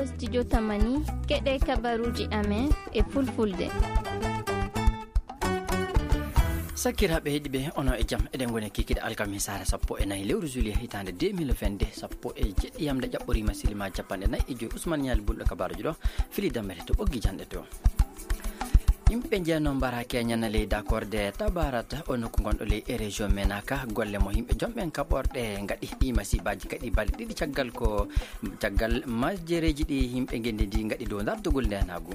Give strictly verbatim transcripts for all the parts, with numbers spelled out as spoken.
Studio Tamani, keɗe kabaruji amen e fulfulde. Sakiraaɓe heɗiɓe, ono e jam. Eɗen ngoni kikiɗe alkamisaare sappo e nayi lewru juillet hitaande deux mille vingt-deux, sappo e jeɗɗi yamde ƴaɓɓoriima silima capanɗe nayi e joyi. Ousmane Ñaali Bulɗo kabaaruji ɗo, fili dammere to ɓoggi janɗe to. Yimɓe njeeno mbara keñana ley dakorde Tabarata, o nokku gonɗo ley e région Menaka. Golle mo yimɓe jomɓen kaɓorɗe ngaɗi ɗi masiibaaji kadi balɗe ɗiɗi caggal ko, caggal majjereeji ɗi yimɓe ngenndi ndi ngaɗi dow dardugol ndenaagu.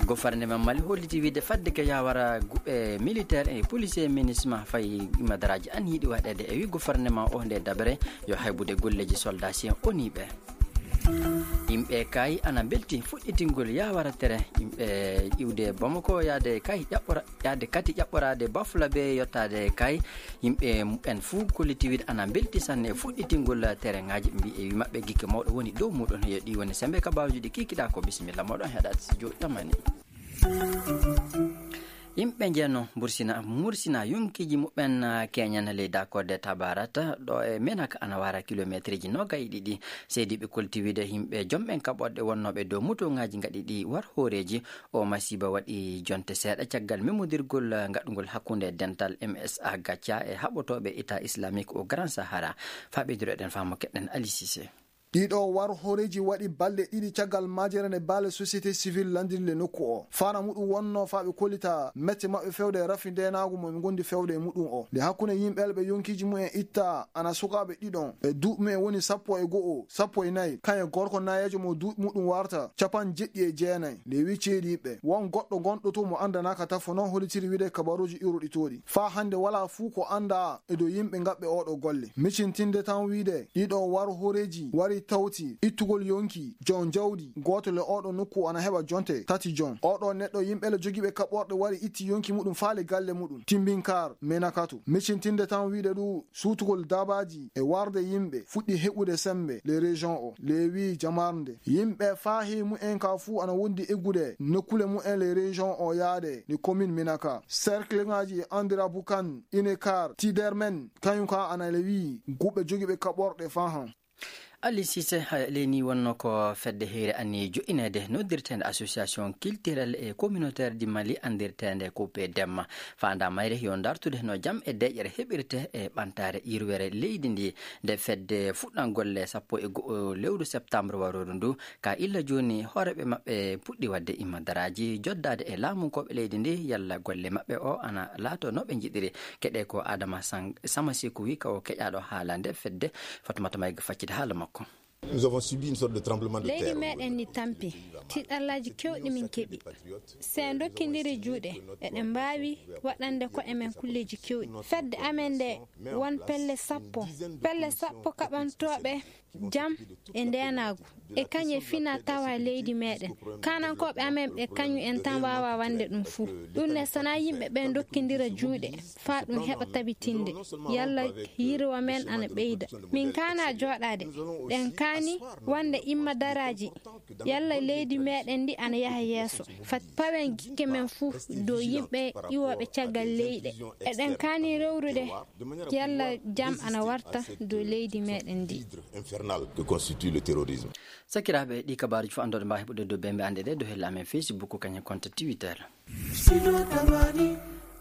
Gofarnema Mali holliti wiide fadde ke yawara gu-, e militaire e policier minisma fayi madaraaji an yiɗi waɗeede e wi gofarnema o nde dabere yo haybude golleeji soldat sien oniiɓe. Yimɓe kay ana mbelti fuɗɗitingol yawara tere yimɓe iwde Bamako yaade kay ƴaɓɓora, yaade kati ƴaɓɓoraade Bafula be yottaade kay yimɓe muɓɓen fuu kolliti wiide ana mbelti sanne e fuɗɗitingol terengaaji mbi e wi maɓɓe gikke mawɗo woni dow muɗon. Yo ɗi woni sembe kabaaruji ɗi kikiɗa ko bisimilla moɗon heɗaade studio Tamani. Yimɓe njeeno Bursina, Mursina yonkiiji muɓɓen, ah, keñana ley dakorde Tabarata, ɗo e Menaka ana wara kilomeetreeji noogay e ɗiɗi. Seediiɓe kolti wiide yimɓe jomɓen kaɓorɗe wonnooɓe dow motooŋaaji ngaɗi ɗi war hooreeji. O masiiba waɗi jonte seeɗa caggal memodirgol, ah, ngaɗungol hakkunde dental M S A Gacia e haɓotooɓe État Islamique au Grand Sahara. Faa ɓeyduɗo eɗen faamo keɗɗen Ali Cissé. Ɗiɗo war hooreeji waɗi balɗe ɗiɗi caggal majere nde baale société civile landirle nokku o. Fana muɗum wonno faa ɓe kollita mette maɓɓe fewde e rafi ndenaagu mo ɓe ngondi fewde e muɗum o. Nde hakkunde yimɓe ɓe yonkiiji mumen itta ana sukaaɓe ɗiɗon e duuɓi mumen woni sappo e go'o, sappo e nayi, kañum e gorko nayeejo mo duuɓi muɗum warta capanɗe jeɗɗi e jeenayi. Nde wi ceediiɓe, won goɗɗo gonɗo to mo anndanaaka tafo noon hollitiri wiide kabaruuji iwruɗi tooɗi. Faa hannde walaa fuu ko anndaa e dow yimɓe ngaɓɓe ooɗo golle. Micintinde tan wiide, ɗiɗo war hooreeji wari tawti ittugol yonki jon jawdi, gooto le ooɗo nokku ana heɓa jonte tati jon. Ooɗo neɗɗo yimɓe le jogiiɓe kaɓorɗe wari itti yonki muɗum faale galle muɗum, Timbinkaar, Menakatu. Micintinde tan wiide ɗu suutugol dabaaji e warde yimɓe fuɗɗi heɓude sembe le région o, le wi jamarnde. Yimɓe faahi mu'en ka fuu ana wondi eggude nokkule mu'en le région o yaade le commune Menaka. Cercle ngaji Andira Bukan, Inekar, Tidermen, kañum ka ana le wi guɓe jogiiɓe kaɓorɗe fahan. Ali Cissé, ha, leni wonno ko fedde heyre anni joƴƴineede noddirteende Association Culturelle et Communautaire du Mali, anndirteende ko P D M. Faandaa mayre yo dartude no jam e deeƴere heɓirte e ɓantaare yirwere leydi ndi. Nde fedde fuɗɗan golle sappo e go'o lewru septembre warooru ndu, ka illa jooni hooreeɓe maɓɓe puɗɗi waɗde immadaraaji, joddaade e laamunkooɓe leydi ndi, yalla golle maɓɓe o ana laato no ɓe njiɗiri. Keɗe ko Adama Sang-, Samasiku wi ka o keƴaaɗo haala nde fedde. Fatumata Mayga faccide haala makko. Nous avons subi une sorte de tremblement de terre. Leydi meɗen ni tampi. Tiɗallaaji kewɗi min keɓi. Se en ndokkindiri juuɗe, eɗen mbaawi waɗande ko'e men kulleeji kewɗi. Fedde amen nde, won pelle sappo. Pelle sappo kaɓantooɓe jam e ndeenaagu. E kañum e fina tawa leydi meɗen. Kanankooɓe amen ɓe kañum en tan waawa wande ɗum fuu. Ɗum ne sana yimɓe ɓe ndokkindira juuɗe. Faa ɗum heɓa tabitinde. Yalla yirwa men ana ɓeyda. Min kaana jooɗaade. Ɗen kaani wonde immadaraaji. Yalla leydi meɗen ndi ana yaha yeeso. Fat pawen gikke men fuu dow yimɓe iwooɓe caggal leyɗe. Eɗen kaani rewrude. Yalla jam ana warta dow leydi meɗen ndi. Infernal que constitue le terrorisme. Sakiraaɓe, ɗi kabaaruji fof anndooɗe mbaawi heɓude dow bembe annde ɗe dow helle amen Facebook, kañum e compte Twitter.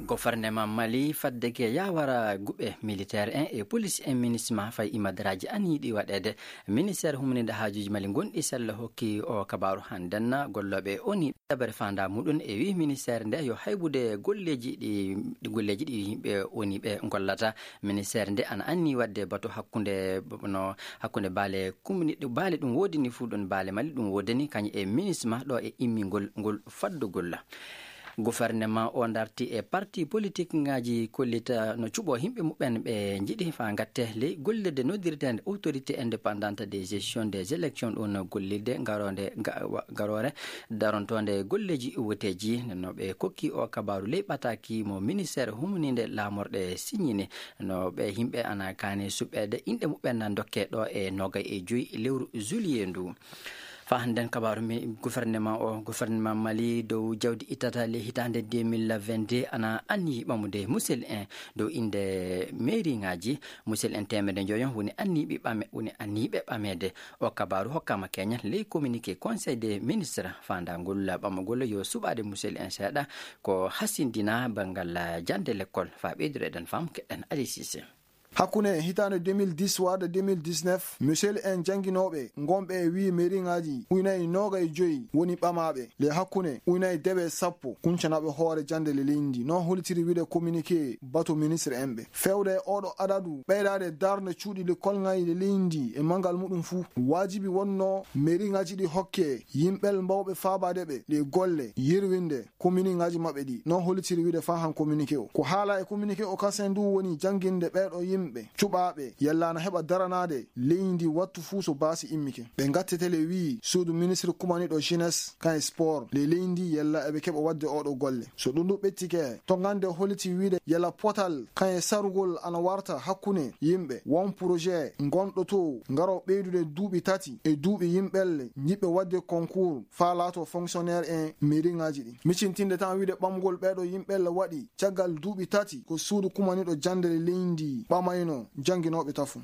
Gofarnema Mali fadde ke yawara guɓe militaire en e police en minisma fay imadaraaji an yiɗi waɗeede. Ministère humninde haajuuji Mali gonɗi sella hokki o kabaaru hannden gollooɓe ONU dabere faandaa muɗum e wi ministère nde yo haybude golleeji ɗi, ɗi golleeji ɗi yimɓe ONU ɓe gollata. Ministère nde ana anni waɗde batu hakkunde no hakkunde baale kumni-, baale ɗum woodani fuu ɗum baale Mali ɗum woodani kañum e minisma ɗo e immingol ngol faddugol. Gouvernement o darti e parti politique ngaji kollita no cuɓo yimɓe muɓɓen ɓe njiɗi faa ngatte ley gollirde noddirteende autorité indépendante de gestion des élections ɗum gollirde garoonde ga-, wa-, garoore darontoonde golleeji woteeji no ɓe kokki o kabaaru ley ɓataaki mo ministère humninde laamorɗe signini. No ɓe yimɓe ana kaani suɓeede inɗe muɓɓen na dokke ɗo e noogay e joyi lewru juillet ndu. Faa hannden kabaaru mi, gouvernement o, gouvernement Mali dow jawdi ittata ley hitaande deux mille vingt-deux ana anniyi ɓamude musel en dow innde mairie ŋaaji. Musel en teemedde njoyo woni anniyiɓe ɓame-, woni anniyiɓe ɓameede. O kabaaru hokkaama keñal ley communiqué Conseil des ministres faandaangol ɓamagol yo suɓaade musel en seeɗa ko hasindina banngal jannde lekkol. Faa ɓeydude eɗen faamu keɗen Ali Cissé. Hakkunde hitaande deux mille dix warde deux mille dix-neuf, musel en jannginooɓe ngonɓe e wii mairie ŋaaji ujunaaji noogay joyi woni ɓamaaɓe. Le hakkunde ujunaaji dewe sappo kuncanaaɓe hoore jannde le leydi ndi. Noon hollitiri wiide communiqué batu ministre en ɓe. Feewde e oɗo adadu ɓeydaade darnde cuuɗi lekkol ŋaaji le leydi ndi e manngal muɗum fuu. Waajibi wonno mairie ŋaaji ɗi hokke yimɓe mbawɓe faabaade ɓe le golle yirwinde commune ŋaaji maɓɓe ɗi. Noon hollitiri wiide faa han communiqué o. Ko haala e communiqué o kasen ndu woni jannginde ɓeeɗo yimɓe cuɓaaɓe yalla ana heɓa daranaade leydi ndi wattu fuu so baasi immike. Ɓe ngattete le wii suudu ministre kumaniɗo jeunesse kan e sport le leydi ndi yalla eɓe keɓa waɗde oɗo golle. So ɗum ɗum ɓettike, to ngannde holliti wiide yalla potal kan e sarugol ana warta hakkunde yimɓe won projet ngonɗo to ngaro ɓeydude duuɓi tati e duuɓi yimɓelle jiɗɓe waɗde concours faa laato fonctionnaire en mairie ŋaaji ɗi. Micintinde tan wiide ɓamgol ɓeeɗo yimɓelle waɗi caggal duuɓi tati ko suudu kumaniɗo jannde le leydi ndi ɓamayno jannginooɓe tafu.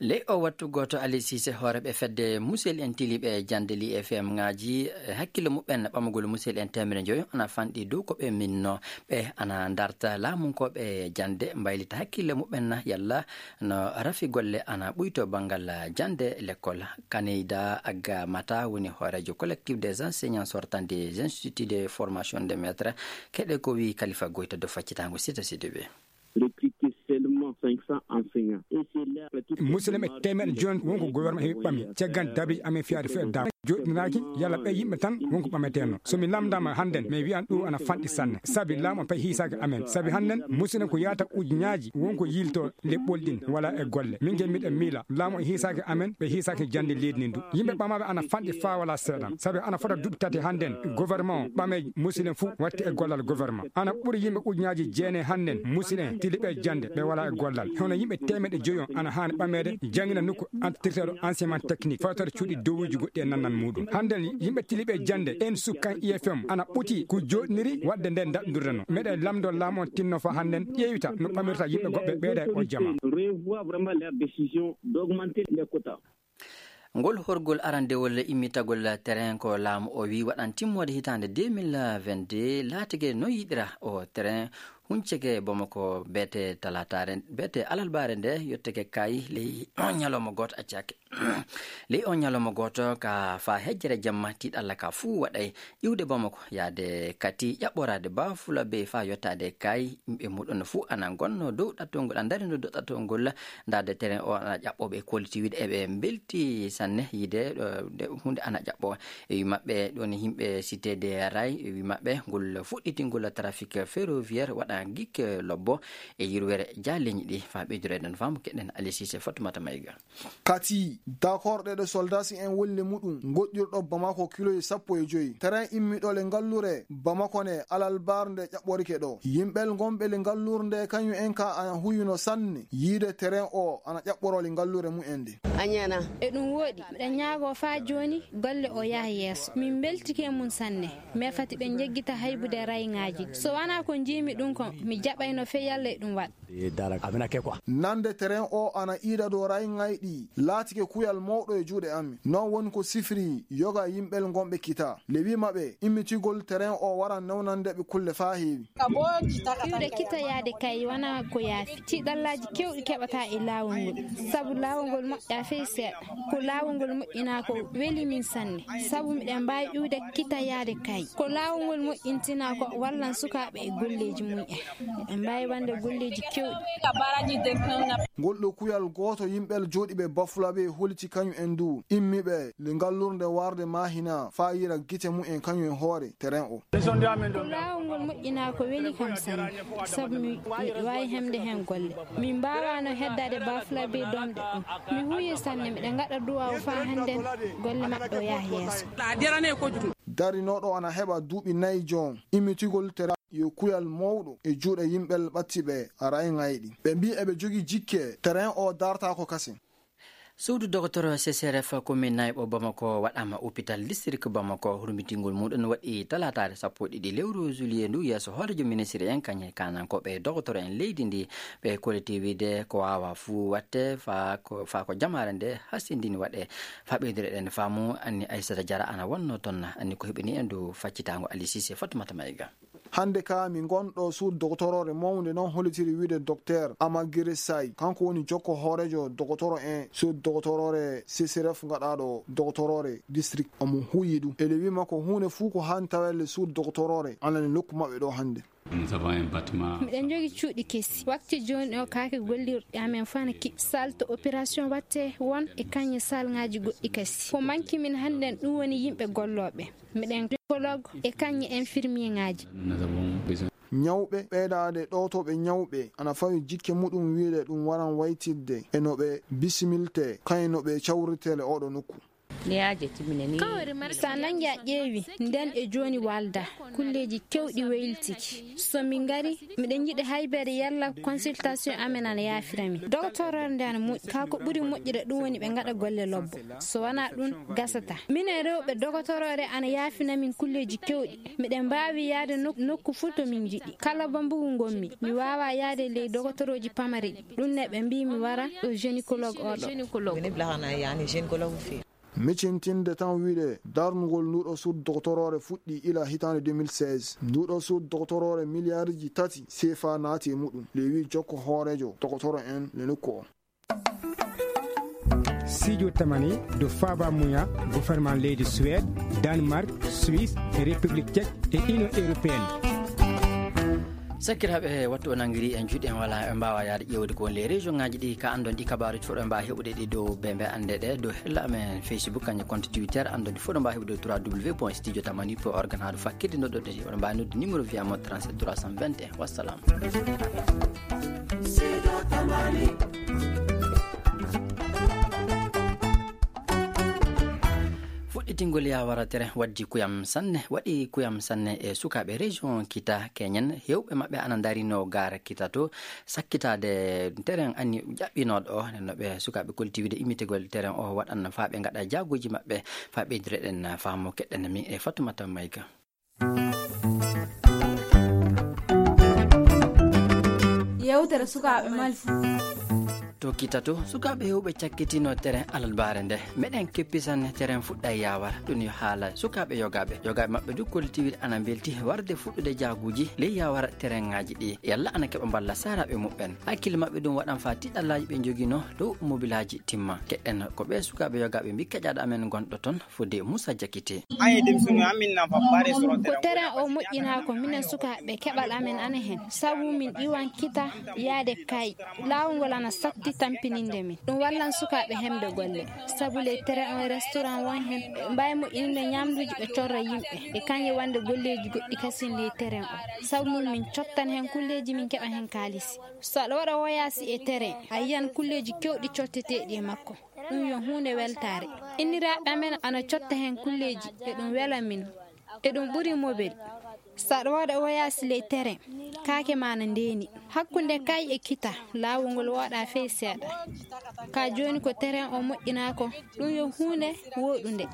Ley o wattu gooto Ali Cissé hooreeɓe fedde musel en tiliiɓe jannde li F M ŋaaji, e hakkille muɓɓen ɓamagol musel en teemedde njoyo ana fanɗi dow ko ɓe minno. Ɓe ana ndarta laamunkooɓe jannde mbaylita hakkille muɓɓen yalla no rafi golle ana ɓuyto banngal jannde lekkol. Kaneyda Agga Mata woni hooreejo collectif des enseignants sortants des instituts de formation de maître. Keɗe ko wii Kalifa Goyta dow faccitaango Sita Sidibe. Recruter seulement cinq cents enseignants. Et c'est là, musidɗo men, teemeɗɗe jooni won ko gouvernement heɓi ɓami. Caggal dabi amen fiyaade fo e dam. Joɗɗinaaki, yalla ɓe yimɓe tan won ko ɓameteno. So mi lamndaama hannden, mi wiyan ɗum ana fanɗi sanne. Sabi laamu o pay hiisaaki amen. Sabi hannden, musidɗo ko yaata ujunnaaji won ko yilto leɓɓol ɗin wala e golle. Min ke miɗen miila, laamu o hiisaaki amen, ɓe hiisaaki jannde leydi ndin du. Yimɓe ɓamaaɓe ana fanɗi faa wala seeɗan. Sabi ana fota duuɓi tati hannden, gouvernement o ɓamee musidɗo fuu watti e gollal gouvernement. Ana ɓuri yimɓe ujunnaaji jeenayi hannden, musidɓe tiliiɓe jannde, ɓe walaa e gollal. Hono yimɓe teemeɗɗe joyo ana haani ɓameede, janngina nokku antirteeɗo enseignement technique, fawtaade cuuɗi dowuuji goɗɗi e nannan muuɗum. Hannden yimɓe tiliiɓe jannde, en sukkan I F M, ana ɓuti ko jooɗniri waɗde nden daɗndurde no. Meɗen lamndoo laamu on tinno faa hannden ƴeewita no ɓamirta yimɓe goɗɓe ɓeyda e o jama. Revoir vraiment leur décision d'augmenter les quotas. Ngol horgol arandewol immitagol terrain ko laamu o wi waɗan timmoode hitaande deux mille vingt-deux, laatike no yiɗira o terrain hunceke Bamako beete talataare, beete alalbaare nde yotteke kay ley on ñalawma gooto accake. Ley on ñalawma gooto ka faa hejjere jamma tiiɗalla ka fuu waɗay iwde Bamako yaade kati ƴaɓɓoraade Bafula Bey faa yottaade kay yimɓe muɗum fuu ana ngonno dow ɗattol ngol, a ndarino dow ɗattol ngol. Ndaarde terrain o ana ƴaɓɓoo ɓe kolliti wiide eɓe mbelti sanne yiide, eh, nde huunde ana ƴaɓɓoo. E wi maɓɓe ɗon yimɓe Cité de Ray, e wi maɓɓe ngol fuɗɗitingol trafic ferroviaire waɗa gikke lobbo e yirwere jaaleñi ɗi. Faa ɓeydureɗen faamu keɗen Ali Cissé Fatoumata Maïga. Kati, d'accord ɗe ɗo soldasi en wolle muɗum, ngoɗɗirɗo Bamako kiloji sappo e joyi. Terrain immiɗo le ngallure Bamako ne alalbar nde ƴaɓɓorike ɗo. Yimɓel ngonɓe le ngallur nde kañum en ka ana huyuno sanne yiide terrain o ana ƴaɓɓoro le ngallure mumen nde. Añana. E ɗum wooɗi, miɗa ñaago faa jooni golle o yaha yeeso. Min mbeltike mum sanne. Mais fati ɓe njeggita haybude rayŋaaji. So wanaa ko njiimi ɗum ko, mi jaɓayno fey yalla e ɗum waɗa. Nande terrain o ana iida dow rayŋay ɗi, laatike kuyal mawɗo e juuɗe amin. Noon woni ko sifiri yoga yimɓel ngonɓe kita. Le wi maɓɓe, immitigol terrain o waran newnande ɓe kulle faa heewi. Iwde kita yaade kay wanaa ko yaafi. Tiiɗallaaji keewɗi keɓataa e laawol ngol. Sabu laawol ngol moƴƴaa fey seeɗa. Ko laawol ngol moƴƴinaa ko weli min sanne. Sabu miɗen mbaawi iwde kita yaade kay. Ko laawol ngol moƴƴintinaa ko wallan sukaaɓe e golleeji mum en. Miɗen mbaawi wonde golleeji keewɗi. Ngol ɗo kuyal gooto yimɓe jooɗiiɓe Bafulabe holiti kañum en du immiiɓe le ngallurnde warde Mahina faa yira gite mum en kañum e hoore terrain o. Ko laawol ngol moƴƴinaa ko weli kam sanne, sabu mi, miɗo waawi heɓde heen golle. Min mbaawaano heddaade Bafulabe doomɗe ɗum. Mi huuyi sanne, miɗo ngaɗa duwaaw faa hannden golle maɓɓe o yaha yeeso. Darinooɗo ana heɓa duuɓi nayi joom, immitigol terrain yo kuyal mawɗo e juuɗe yimɓe ɓattiiɓe rayŋayɗi. Ɓe mbii eɓe jogii jikke, terrain o dartaako kasen. Suudu doktor C C R F commune Nayɓo Bamako waɗaama hôpital district Bamako. Hurmitingol muɗum waɗi talaataare sappo e ɗiɗi lewru juillet ndu yeeso hooreejo ministre en kañe kanankooɓe doktor en leydi ndi. Ɓe kolliti wiide ko waawa fuu waɗte faa ko, faa ko jamaare nde hasindini waɗe. Faa ɓeydire ɗen faamu, anni Aissata Diarra ana wonno toon, anni ko heɓini en dow faccitaango Ali Cissé, Fatoumata Maïga. Hannde ka mi ngonɗo suud doktorore mawnde noon hollitiri wiide docteur Amagiri Say, kanko woni jokko hooreejo dokotoro en suud doktorore C C R F ngaɗaaɗo doktorore district. Omo huuyi ɗum. Ele wima ko huunde fuu ko haan tawelle suud doktorore alani nokku maɓɓe ɗo hannde. Nous avons un bâtiment. Miɗen njogi cuuɗi kesi. Wakti jooni o kaake gollirɗi amen fana kiɓ. Salle to opération watte won e kañe salngaaji goɗɗi kasi. Ko manki min hannden ɗum woni yimɓe gollooɓe. Miɗen gynécologue e kañe infirmier ngaaji. Nous avons besoin. Ñawɓe ɓeydaade ɗowtoɓe ñawɓe ana fawi jikke muɗum wiide ɗum waran waytidde e no ɓe bisimilte, kañum no ɓe cawrirtee le oɗo nokku. Sa nangi a ƴeewi, nden e jooni walda, kulleeji kewɗi weyltiki. So min ngari, miɗen yiɗi haybere yalla consultation amen ana yaafira min. Dogotorore nde ana moƴƴi, kaa ko ɓuri moƴƴude ɗum woni ɓe ngaɗa golle lobbo. So wanaa ɗum, gasata. Minen rewɓe dogotorore ana yaafina min kulleeji kewɗi. Miɗen mbaawi yaade nok-, nokku fuu to min njiɗi. Kala bambugu ngonmi, mi waawaa yaade ley dogotorooji pamari ɗi. Ɗum ne ɓe mbii mi wara ɗo gynécologue oɗo. Gynécologue. Woni blahana yani gynécologue fi. Micintinde tan wiide darnugol nduɗo suud doktorore fuɗɗi ila hitaande deux mille seize. Nduɗo suud doktorore miliyariji tati C F A naati e muɗum. Le wi jokko hooreejo dokotoro en le nokku o. Studio Tamani do faaba muya gouvernement leydi Suède, Danemark, Suisse e République Tchèque e Union Européenne. Sakkiraaɓe, wattu o nanngiri en juuɗe, en wala, en mbaawa yaade ƴeewde ko woni les région ngaaji ɗi, ka anndon ɗi kabaaruuji fof ɗo en mbaawa heɓude ɗi dow be mbe annde ɗe, dow hella amen Facebook, kañum compte Twitter, anndon ɗi fof ɗo mbaawa heɓude trois W point studio tamani point org, haa ɗo fakkirde no ɗo ɗo, oɗon mbaawi nodde numéro via mo trente-sept trois cent vingt et un. Wassalam. Fuɗɗitingol yawara tere waddi kuyam sanne, waɗi kuyam sanne e sukaaɓe région Kita Keñen. Heewɓe maɓɓe ana ndarino gaara Kita to, sakkitaade terrain anni ƴaɓɓinooɗo o. Nden no ɓe sukaaɓe kolti wiide immitigol terrain o waɗan faa ɓe ngaɗa jaaguuji maɓɓe, faa ɓeydire ɗen faamu. Keɗɗen mi e Fatoumata Maïga. Yewtere sukaaɓe Mali. To Kita to, sukaaɓe heewɓe cakkitino terrain alarbaare nde. Meɗen keppisan terrain fuɗɗa yawara. Ɗum yo haala sukaaɓe yogaaɓe. Yogaaɓe maɓɓe du kolti wiide ana mbelti warde fuɗɗude jaaguuji ley yawara terrain ngaaji ɗi. Yalla ana keɓa mballa saaraaɓe muɓɓen. Hakkille maɓɓe ɗum waɗan faa tiɗallaaji ɓe njogino dow mobilaaji timma. Keɗɗen ko ɓe sukaaɓe yogaaɓe mbi keƴaaɗo amen gonɗo toon, fodde Moussa Diakité. Ko terrain o moƴƴinaa ko minen sukaaɓe keɓal amen ana heen. Sabu min iwan Kita yaade kay. Laawol ngol ana sakti tampininde min. Ɗum wallan sukaaɓe heɓde golle. Sabu ley terrain o restaurant won heen. Ɓe mbaawi moƴƴininde ñaamduuji ɓe corra yimɓe. E kañum wonde golleeji goɗɗi kasin ley terrain o. Sabu mum min cottan heen kulleeji min keɓa heen kaalisi. So aɗa waɗa woyaasi e terrain, a yiyan kulleeji kewɗi cotteteeɗi e makko. Ɗum yo huunde weltaare. Inniraaɓe amen ana cotta heen kulleeji, e ɗum wela min. E ɗum ɓuri mobel. So aɗa waɗa woyaasi ley terrain, kaake ma na ndeeni. Hakkunde kay e kita, laawol ngol wooɗaa fey seeɗa. Ka jooni ko terrain o moƴƴinaa ko, ɗum yo huunde wooɗunde.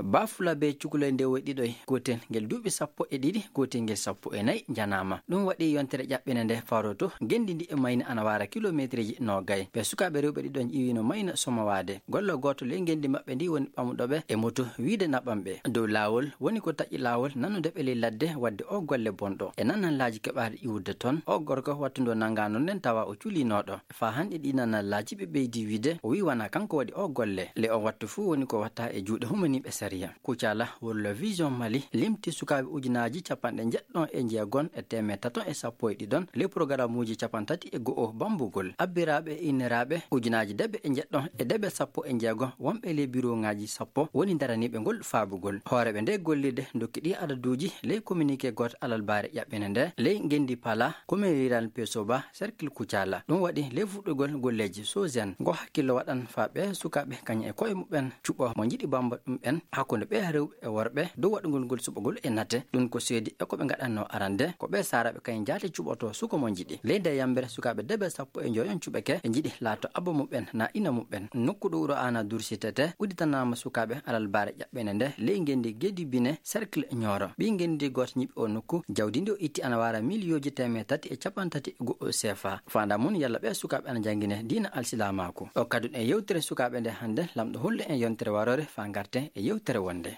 Bafulabe cukalel nde woy ɗiɗoy, gootel ngel duuɓi sappo e ɗiɗi, gootel ngel sappo e nayi njanaama. Ɗum waɗi yontere ƴaɓɓinde nde faroto. Ngenndi ndi e Mayni ana waara kilomeetreeji noogay. Ɓe sukaaɓe rewɓe ɗiɗon ƴiwino Mayni somowaade. Gollo gooto ley ngenndi maɓɓe ndi woni ɓamuɗo ɓe e moto wiide naɓan ɓe. Dow laawol woni ko taƴi laawol nanude ɓe ley ladde waɗde o golle bonɗo. E nananlaaji keɓaaɗi iwrude toon, o gorko wattu ndo nanngaano nden tawa o culinooɗo. Faa hannde ɗi nananlaaji ɓe ɓeydi wiide o wii wanaa kanko waɗi o golle. Le on wattu fuu woni ko watta e juuɗe humaniiɓe sariya. Kucala World Vision Mali limti sukaaɓe ujunaaji capanɗe njeɗɗon e njeegon e teemeɗɗe taton e sappo e ɗiɗon, le programmuuji capantati e go'o bambugol. Abbiraaɓe e inniraaɓe ujunaaji debe e njeɗɗon e debe sappo e njeegon wonɓe ley biroŋaaji sappo woni daraniiɓe ngol faabugol. Hooreeɓe nde gollirde ndokki ɗi adaduuji ley communiqué gooto alarbaare ƴaɓɓinde nde ley ngenndi Pala, commune rurale Pesoba, cercle Kucala. Ɗum waɗi ley fuɗɗugol golleeji Sozen. Ngo hakkillo waɗan faa ɓe sukaaɓe e koye muɓɓen cuɓo mo njiɗi bamba ɗum ɓen hakkunde ɓe rewɓe e worɓe dow waɗugol ngol suɓagol e nate. Ɗum ko seedi e ko ɓe ngaɗanno arande ko ɓe saraɓe kayen jaati cuɓoto suko mo njiɗi. Leydi e yambere sukaɓe debe sappo e njoyon cuɓeke ɓe njiɗi laato abba muɓɓen na ina muɓɓen. Nokku ɗo wuro ana dursitete udditanama sukaɓe alal bare ƴaɓɓene nde ley ngendi gedi bine cercle ñooro ɓi ngendi goto ñiɓi o nokku. Jawdi ndi o itti ana wara miliyoji teme tati e capanɗe tati e go'o sefa. Fanda mun yalla ɓe sukaɓe ana jangine diina alsilamaaku. O kadun e yewtere sukaɓe nde hande lamɗo hollu en yontere warore fa garte e yewtere wonde.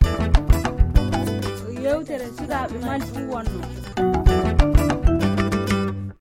Yewtere sukaɓe mali ɗum wonno.